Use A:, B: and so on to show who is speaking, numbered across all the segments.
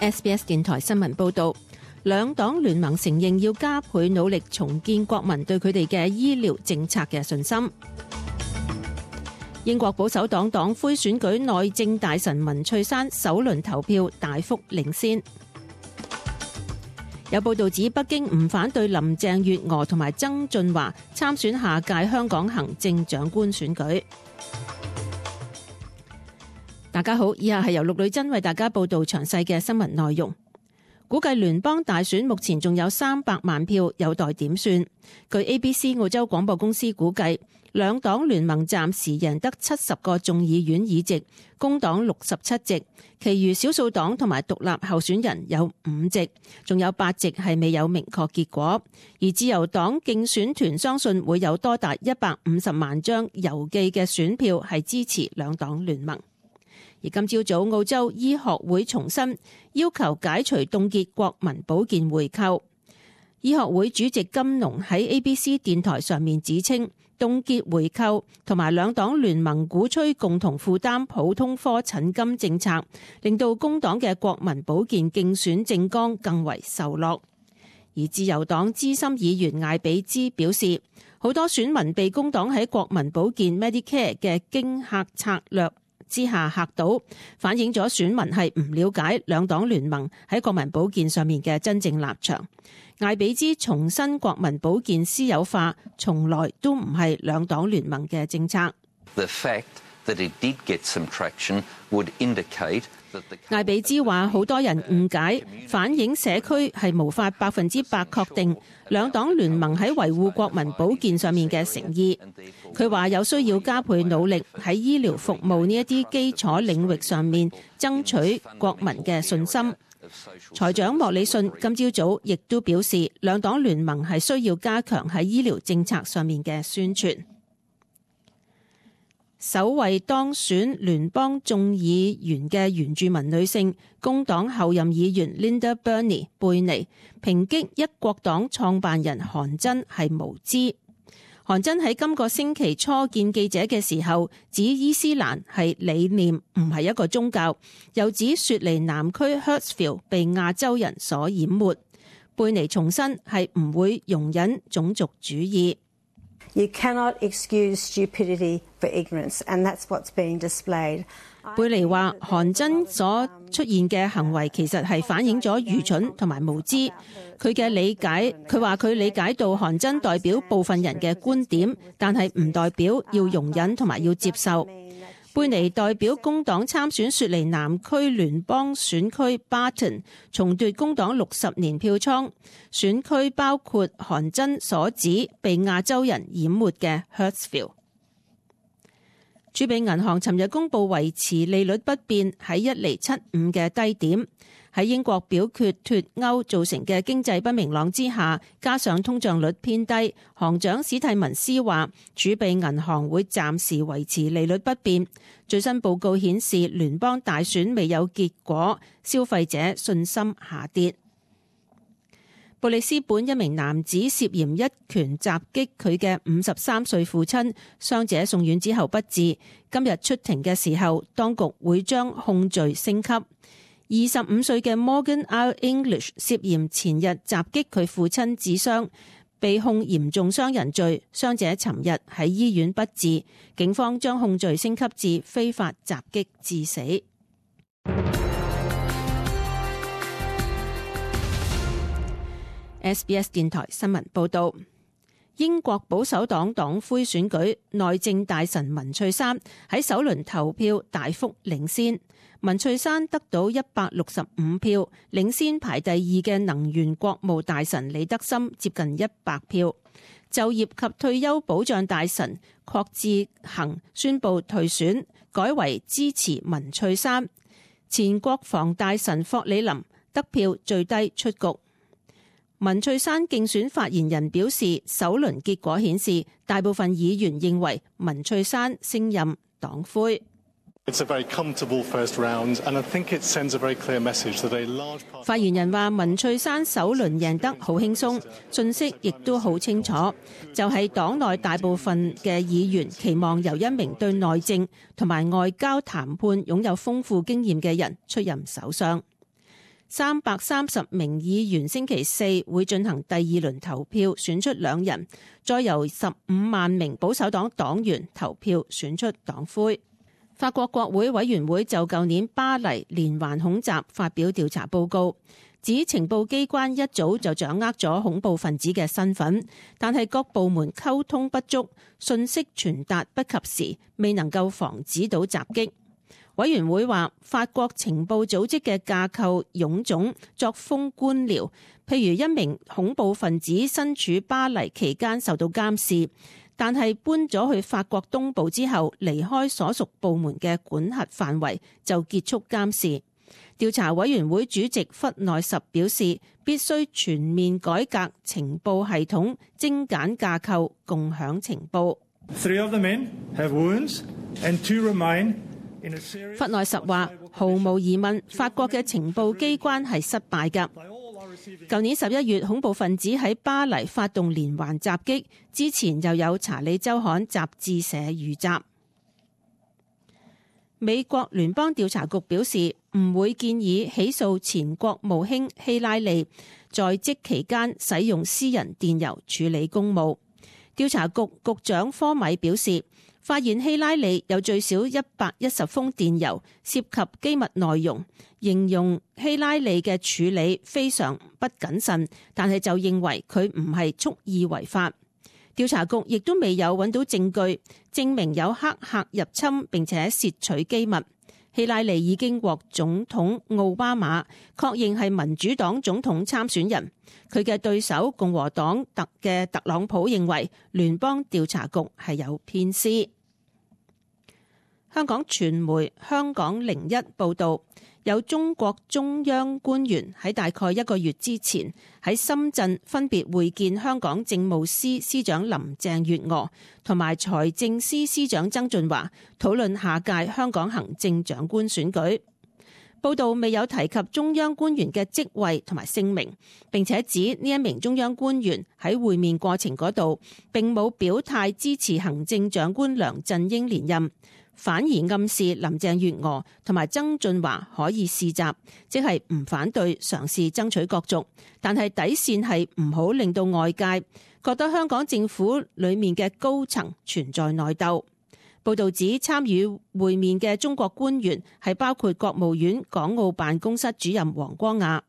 A: SBS 電台新聞報道，兩黨聯盟承認要加倍努力重建國民對佢哋嘅醫療政策嘅信心。英國保守黨黨魁選舉內政大臣文翠珊首輪投票大幅領先。有報道指北京唔反對林鄭月娥同埋曾俊華參選下屆香港行政長官選舉。大家好，以下係由陸女真為大家報道詳細嘅新聞內容。估計聯邦大選目前仲有300萬票有待點算。據 ABC 澳洲廣播公司估計，兩黨聯盟暫時贏得70個眾議院議席，工黨67席，其餘少數黨同埋獨立候選人有5席，仲有8席係未有明確結果。而自由黨競選團相信會有多達150萬張郵寄嘅選票係支持兩黨聯盟。而今朝早，澳洲醫學會重申要求解除凍結國民保健回扣。醫學會主席金龍喺 ABC 電台上面指稱，凍結回扣同埋兩黨聯盟鼓吹共同負擔普通科診金政策，令到工黨嘅國民保健競選政綱更為受落。而自由黨資深議員艾比茲表示，好多選民被工黨喺國民保健 Medicare 嘅驚嚇策略之下嚇到，反映咗選民係唔了解兩黨聯盟喺國民保健上面嘅真正立場。艾比茲重申國民保健私有化從來都唔係兩黨聯盟嘅政策。艾比茲話好多人誤解，反映社區係無法100%確定兩黨聯盟喺維護國民保健上面嘅誠意。佢話有需要加倍努力喺醫療服務呢一啲基礎領域上面爭取國民嘅信心。財長莫里遜今朝早亦都表示，兩黨聯盟係需要加強喺醫療政策上面嘅宣傳。首位當選聯邦眾議員嘅原住民女性工黨後任議員 Linda Burney 貝尼抨擊一國黨創辦人韓真係無知。韓真喺今個星期初見記者嘅時候，指伊斯蘭係理念，唔係一個宗教，又指雪梨南區 Hurstville 被亞洲人所淹沒。貝尼重申係唔會容忍種族主義。
B: You cannot excuse stupidity for ignorance, and that's what's being displayed.
A: 貝尼話韓真所出現嘅行為其實係反映咗愚蠢同埋無知。佢話佢理解到韓真代表部分人嘅觀點，但係唔代表要容忍同埋要接受。貝尼代表工黨參選雪梨南區聯邦選區 Barton， 重奪工黨60年票倉。選區包括韓真所指被亞洲人淹沒嘅 Hurstville。儲備銀行尋日公布維持利率不變喺1.75厘嘅低點。喺英國表決脫歐造成嘅經濟不明朗之下，加上通脹率偏低，行長史蒂文斯話儲備銀行會暫時維持利率不變。最新報告顯示，聯邦大選未有結果，消費者信心下跌。布里斯本一名男子涉嫌一拳襲擊佢嘅53歲父親，傷者送院之後不治。今日出庭嘅時候，當局會將控罪升級。25歲嘅 Morgan R. English 涉嫌前日襲擊佢父親致傷，被控嚴重傷人罪。傷者尋日喺醫院不治，警方將控罪升級至非法襲擊致死。SBS 電台新聞報道，英國保守黨黨魁選舉內政大臣文翠珊喺首輪投票大幅領先。文翠珊得到165票，領先排第2嘅能源國務大臣李德森接近100票。就業及退休保障大臣郝志恒宣布退選，改為支持文翠珊。前國防大臣霍里林得票最低出局。文翠珊競選發言人表示，首輪結果顯示，大部分議員認為文翠珊升任黨魁。發言人話，文翠珊首輪贏得好輕鬆，信息亦都好清楚，就係黨內大部分嘅議員期望由一名對內政同埋外交談判擁有豐富經驗嘅人出任首相。330名議員星期四會進行第二輪投票，選出2人，再由15萬名保守黨黨員投票選出黨魁。法國國會委員會就舊年巴黎連環恐襲發表調查報告，指情報機關一早就掌握咗恐怖分子嘅身份，但係各部門溝通不足，信息傳達不及時，未能夠防止到襲擊。委員會話，法國情報組織嘅架構臃腫，作風官僚，譬如一名恐怖分子身處巴黎期間受到監視，但係搬咗去法國東部之後，離開所屬部門嘅管轄範圍就結束監視。調查委員會主席弗內什表示，必須全面改革情報系統，精簡架構，共享情報。
C: 3 of the men have wounds and 2 remain。
A: 弗內什話，毫無疑問，法國嘅情報機關係失敗㗎。舊年11月，恐怖分子喺巴黎發動連環襲擊，之前又有查理周刊雜誌社遇襲。美國聯邦調查局表示，唔會建議起訴前國務卿希拉里在職期間使用私人電郵處理公務。調查局局長科米表示，發現希拉里有最少110封電郵涉及機密內容，形容希拉里嘅處理非常不謹慎，但係就認為佢唔係蓄意違法。調查局亦都未有揾到證據證明有黑客入侵並且竊取機密。希拉里已經獲總統奧巴馬確認係民主黨總統參選人，佢嘅對手共和黨嘅特朗普認為聯邦調查局係有偏私。香港傳媒香港01報導，有中國中央官員喺大概1個月之前喺深圳分別會見香港政務司司長林鄭月娥同埋財政司司長曾俊華，討論下屆香港行政長官選舉。報導未有提及中央官員嘅職位同埋姓名，並且指呢一名中央官員喺會面過程嗰度並冇表態支持行政長官梁振英連任，反而暗示林鄭月娥同埋曾俊華可以試閘，即係唔反對嘗試爭取角逐，但係底線係唔好令到外界覺得香港政府裡面嘅高層存在內鬥。報導指參與會面嘅中國官員係包括國務院港澳辦公室主任黃光亞。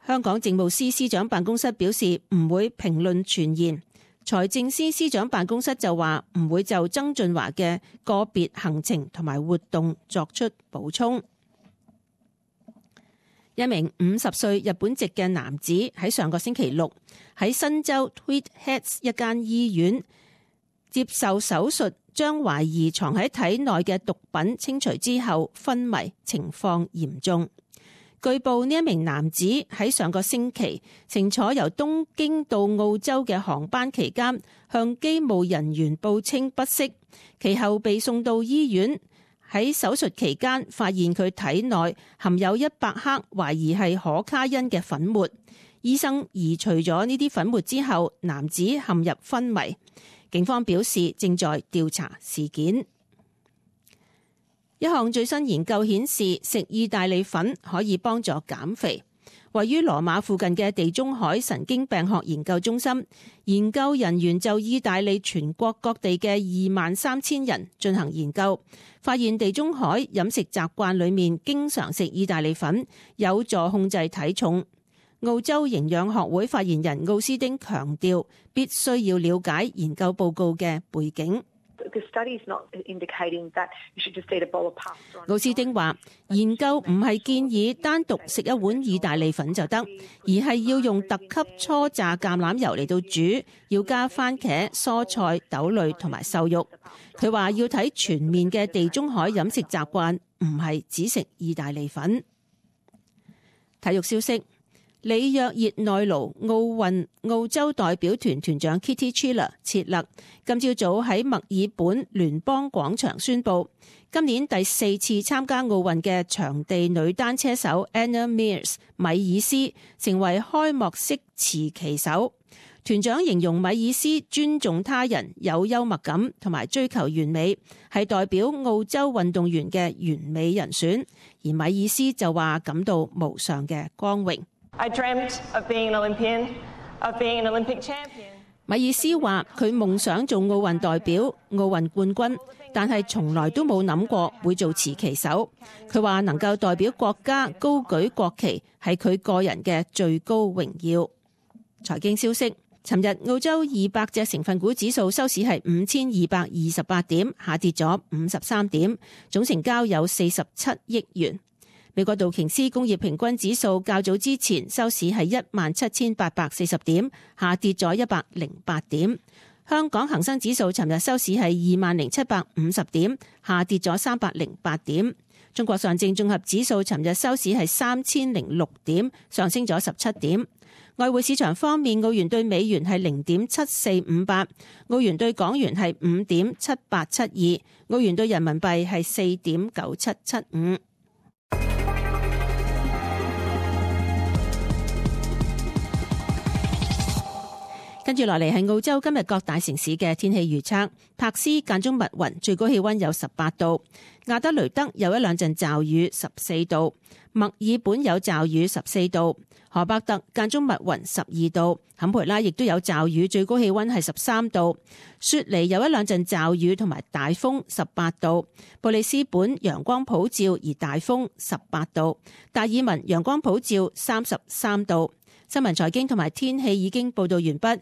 A: 香港政務司司長辦公室表示唔會評論傳言。財政司司長辦公室就話唔會就曾俊華嘅個別行程同埋活動作出補充。一名50歲日本籍嘅男子喺上個星期六喺新州 Tweed Heads 一間醫院接受手術，將懷疑藏喺體內嘅毒品清除之後昏迷，情況嚴重。據報呢一名男子喺上個星期乘坐由東京到澳洲嘅航班期間，向機務人員報稱不適，其後被送到醫院。喺手術期間發現佢體內含有100克懷疑係可卡因嘅粉末，醫生移除咗呢啲粉末之後，男子陷入昏迷。警方表示正在調查事件。一項最新研究顯示，食意大利粉可以幫助減肥。位於羅馬附近嘅地中海神經病學研究中心，研究人員就意大利全國各地嘅23000人進行研究，發現地中海飲食習慣裏面經常食意大利粉有助控制體重。澳洲營養學會發言人奧斯丁強調，必須要了解研究報告嘅背景。奧斯丁話：研究唔係建議單獨食一碗意大利粉就得，而係要用特級初榨橄欖油嚟到煮，要加番茄、蔬菜、豆類同埋瘦肉。佢話要睇全面嘅地中海飲食習慣，唔係只食意大利粉。體育消息。里約熱內盧奧運澳洲代表團團長 Kitty Chiller 切勒今朝早喺墨爾本聯邦廣場宣布，今年第4次參加奧運嘅場地女單車手 Anna Meares 米爾斯成為開幕式持旗手。團長形容米爾斯尊重他人、有幽默感同埋追求完美，係代表澳洲運動員嘅完美人選。而米爾斯就話感到無上嘅光榮。
D: I dreamt of being an Olympian, of being an Olympic champion.
A: 米爾斯話佢夢想做奧運代表、奧運冠軍，但係從來都冇諗過會做持旗手。佢話能夠代表國家高舉國旗係佢個人嘅最高榮耀。財經消息，尋日澳洲200隻成分股指數收市係5228點，下跌咗53點，總成交有47億元。美國道瓊斯工業平均指數較早之前收市係17840點，下跌咗108點。香港恒生指數尋日收市係20750點，下跌咗308點。中國上證綜合指數尋日收市係3006點，上升咗17點。外匯市場方面，澳元對美元係0.7458，澳元對港元係5.7872，澳元對人民幣係4.9775。跟住落嚟係澳洲今日各大城市嘅天氣預測。柏斯間中密雲，最高氣溫有18度；亞德雷德有一兩陣驟雨，14度；墨爾本有驟雨，14度；荷伯特間中密雲，12度；坎培拉亦都有驟雨，最高氣溫係13度；雪梨有一兩陣驟雨同埋大風，18度；布里斯本陽光普照而大風，18度；達爾文陽光普照，33度。新聞財經同埋天氣已經報道完畢。